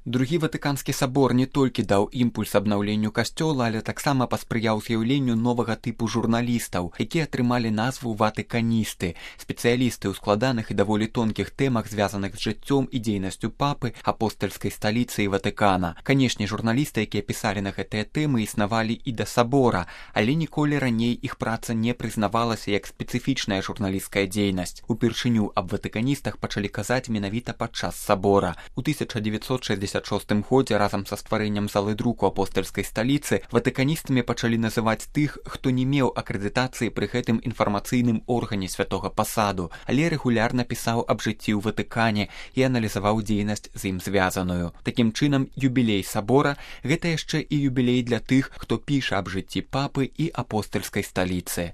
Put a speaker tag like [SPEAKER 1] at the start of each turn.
[SPEAKER 1] Другі Ватыканскі сабор не толькі даў імпульс абнаўленню касцёла, але таксама паспрыяў з'яўленню новага тыпу журналістаў, якія атрымалі назву ватыканісты, спецыялісты ў складаных і даволі тонкіх тэмах, звязаных з жыццём і дзейнасцю папы, апостальскай сталіцы і Ватыкана. Канешне, журналісты, якія пісалі на гэтыя тэмы, існавалі і да сабора, але ніколі раней іх праца не прызнавалася як спецыфічная журналісцкая дзейнасць. Упершыню аб ватыканістах пачалі казаць менавіта падчас сабора. У 1966 годзе разам са стварэннем залы друку апостальскай сталіцы ватыканістамі пачалі называць тых, хто не меў акрэдытацыі пры гэтым інфармацыйным органе святога пасаду, але рэгулярна пісаў аб жыцці ў Ватыкане і аналізаваў дзейнасць з ім звязаную. Такім чынам, юбілей сабора – гэта яшчэ і юбілей для тых, хто піша аб жыцці папы і апостальскай сталіцы.